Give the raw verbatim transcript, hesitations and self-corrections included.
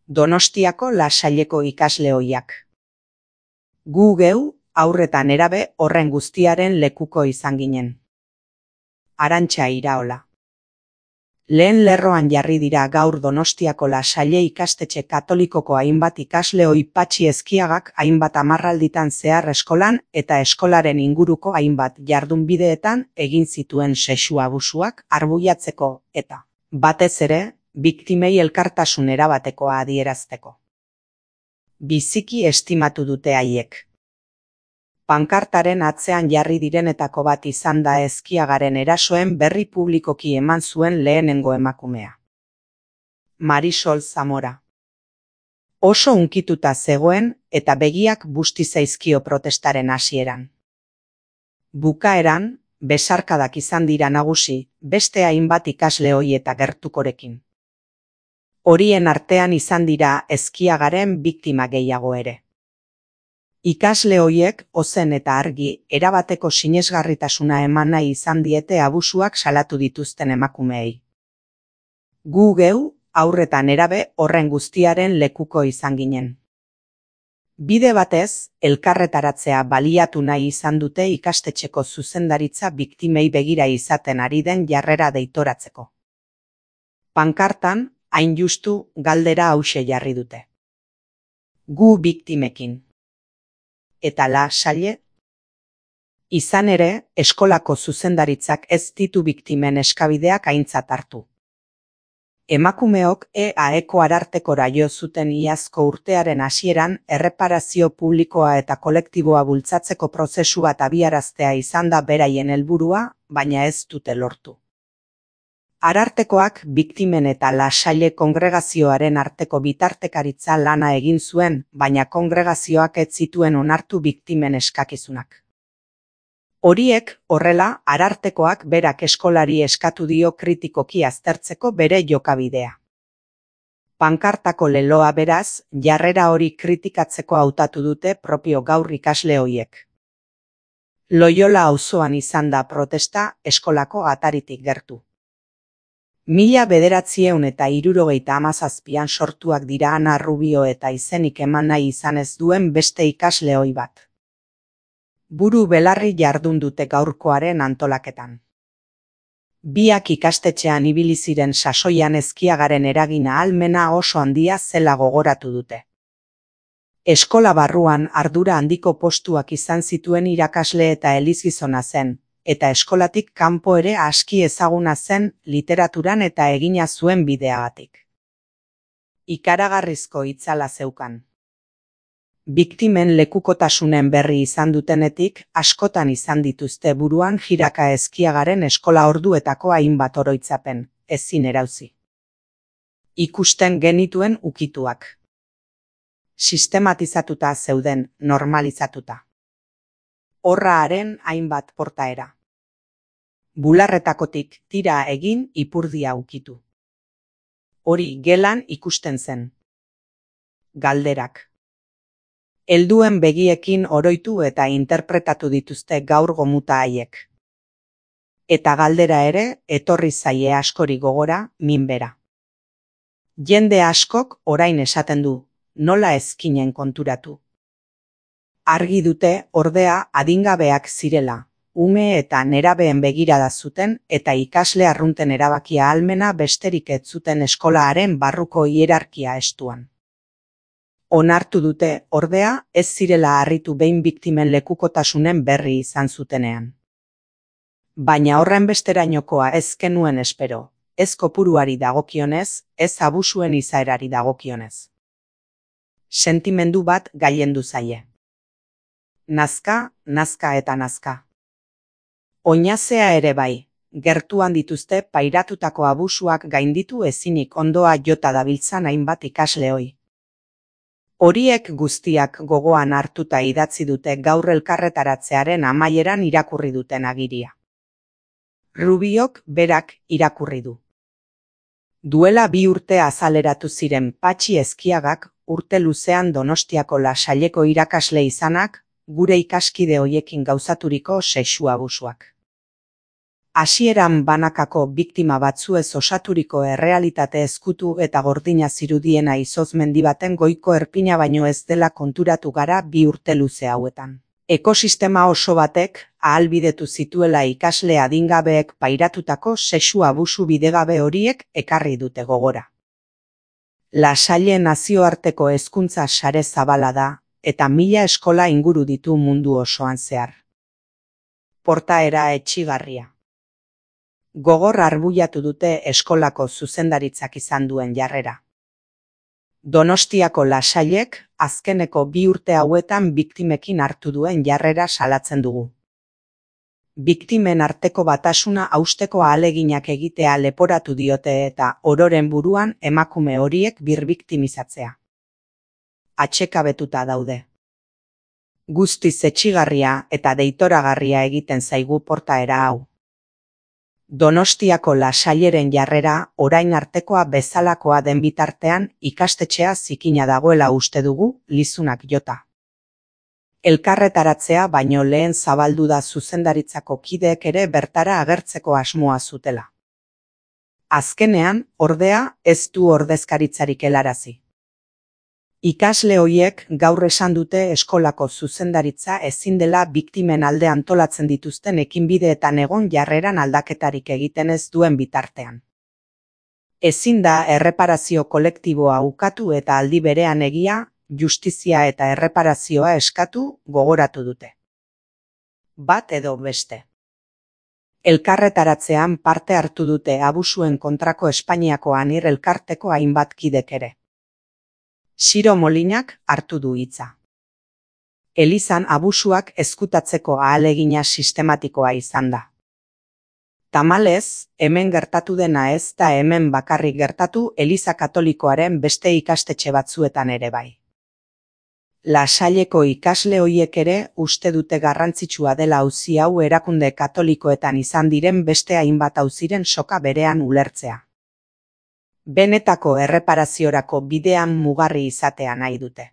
Donostiako Lasaileko ikasle ohiak. Gu geu, haur eta nerabe horren guztiaren lekuko izan ginen. Arantxa Iraola. Lehen lerroan jarri dira gaur Donostiako Lasaile ikastetxe katolikoko hainbat ikasle ohi Patxi Ezkiagak hainbat hamarralditan zehar eskolan eta eskolaren inguruko hainbat jardunbideetan egin zituen sexu abusuak arbuiatzeko eta, batez ere, biktimei elkartasun erabatekoa adierazteko. Biziki estimatu dute haiek. Pankartaren atzean jarri direnetako bat izan da Ezkiagaren erasoen berri publikoki eman zuen lehenengo emakumea. Marisol Zamora. Oso hunkituta zegoen eta begiak busti zaizkio protestaren hasieran. Bukaeran, besarkadak izan dira nagusi, beste hainbat ikasle ohi eta gertukorekin. Horien artean izan dira Ezkiagaren biktima gehiago ere. Ikasle hoiek ozen eta argi erabateko sinesgarritasuna eman nahi izan diete abusuak salatu dituzten emakumeei. Gu geu, haur eta nerabe horren guztiaren lekuko izan ginen. Bide batez, elkarretaratzea baliatu nahi izan dute ikastetxeko zuzendaritza biktimei begira izaten ari den jarrera deitoratzeko. Pankartan, hain justu galdera hauxe jarri dute. Gu biktimekin. Eta Lasaile? Izan ere, eskolako zuzendaritzak ez ditu biktimen eskabideak aintzat hartu. Emakumeok E A Eko arartekora jo zuten iazko urtearen hasieran erreparazio publikoa eta kolektiboa bultzatzeko prozesu bat abiaraztea izan da beraien helburua, baina ez dute lortu. Arartekoak biktimen eta Lasaile kongregazioaren arteko bitartekaritza lana egin zuen, baina kongregazioak ez zituen onartu biktimen eskakizunak. Horiek, horrela, arartekoak berak eskolari eskatu dio kritikoki aztertzeko bere jokabidea. Pankartako leloa beraz, jarrera hori kritikatzeko hautatu dute propio gaur ikasle hoiek. Loiola auzoan izan da protesta eskolako ataritik gertu. Mila bederatziehun eta hirurogeita hamazazpian sortuak dira Ana Rubio eta izenik eman nahi izan ez duen beste ikasle ohi bat. Buru belarri jardun dute gaurkoaren antolaketan. Biak ikastetxean ibili ziren sasoian Ezkiagaren eragina ahalmena oso handia zela gogoratu dute. Eskola barruan ardura handiko postuak izan zituen irakasle eta elizgizona zen, eta eskolatik kanpo ere aski ezaguna zen literaturan eta egina zuen bideagatik. Ikaragarrizko itzala zeukan. Biktimen lekukotasunen berri izan dutenetik, askotan izan dituzte buruan jiraka Ezkiagaren eskola orduetako hainbat oroitzapen, ezin erauzi. Ikusten genituen ukituak. Sistematizatuta zeuden, normalizatuta. Horraaren hainbat portaera. Bularretakotik tira egin ipurdia ukitu. Hori gelan ikusten zen. Galderak. Helduen begiekin oroitu eta interpretatu dituzte gaur gomuta haiek. Eta galdera ere, etorri zaie askori gogora, minbera. Jende askok orain esaten du, nola ezkinen konturatu. Argi dute, ordea, adingabeak zirela, ume eta nerabeen begirada zuten eta ikasle arrunten erabakia ahalmena besterik ez zuten eskolaaren barruko hierarkia estuan. Onartu dute, ordea, ez zirela harritu behin biktimen lekukotasunen berri izan zutenean. Baina horren besterainokoa ez genuen espero, ez kopuruari dagokionez, ez abusuen izaerari dagokionez. Sentimendu bat gailendu zaie. Nazka, nazka eta nazka. Oinazea ere bai, gertuan dituzte pairatutako abusuak gainditu ezinik ondoa jota dabiltzan hainbat ikasle ohi. Horiek guztiak gogoan hartuta idatzi dute gaur elkarretaratzearen amaieran irakurri duten agiria. Rubiok berak irakurri du. Duela bi urte azaleratu ziren Patxi Ezkiagak urte luzean Donostiako Lasaileko irakasle izanak, gure ikaskide hoiekin gauzaturiko sexu abusuak. Hasieran banakako biktima batzuez osaturiko errealitate ezkutu eta gordina zirudiena izozmendi baten goiko erpina baino ez dela konturatu gara bi urte luze hauetan. Ekosistema oso batek ahalbidetu zituela ikasle adingabeek pairatutako sexu abusu bidegabe horiek ekarri dute gogora. La Salle nazioarteko hezkuntza sare zabala da, eta mila eskola inguru ditu mundu osoan zehar. Portaera etsigarria. Gogor arbuiatu dute eskolako zuzendaritzak izan duen jarrera. Donostiako La Sallek azkeneko bi urte hauetan biktimekin hartu duen jarrera salatzen dugu. Biktimen arteko batasuna hausteko ahaleginak egitea leporatu diote eta ororen buruan emakume horiek birbiktimizatzea. Atsekabetuta daude. Guztiz etsigarria eta deitoragarria egiten zaigu portaera hau. Donostiako La Salleren jarrera orain artekoa bezalakoa den bitartean ikastetxea zikina dagoela uste dugu, lizunak jota. Elkarretaratzea baino lehen zabaldu da zuzendaritzako kideek ere bertara agertzeko asmoa zutela. Azkenean, ordea, ez du ordezkaritzarik helarazi. Ikasle hoiek gaur esan dute eskolako zuzendaritza ezin dela biktimen alde antolatzen dituzten ekinbideetan egon jarreran aldaketarik egiten ez duen bitartean. Ezin da erreparazio kolektiboa ukatu eta aldi berean egia, justizia eta erreparazioa eskatu gogoratu dute. Bat edo beste. Elkarretaratzean parte hartu dute abusuen kontrako Espainiako Anir elkarteko hainbat kidek ere. Siro Molinak hartu du hitza. Elizan abusuak ezkutatzeko ahalegina sistematikoa izan da. Tamalez, hemen gertatu dena ez da hemen bakarrik gertatu Eliza Katolikoaren beste ikastetxe batzuetan ere bai. La Salleko ikasle hoiek ere uste dute garrantzitsua dela auzi hau erakunde katolikoetan izan diren beste hainbat auziren soka berean ulertzea. Benetako erreparaziorako bidean mugarri izatea nahi dute.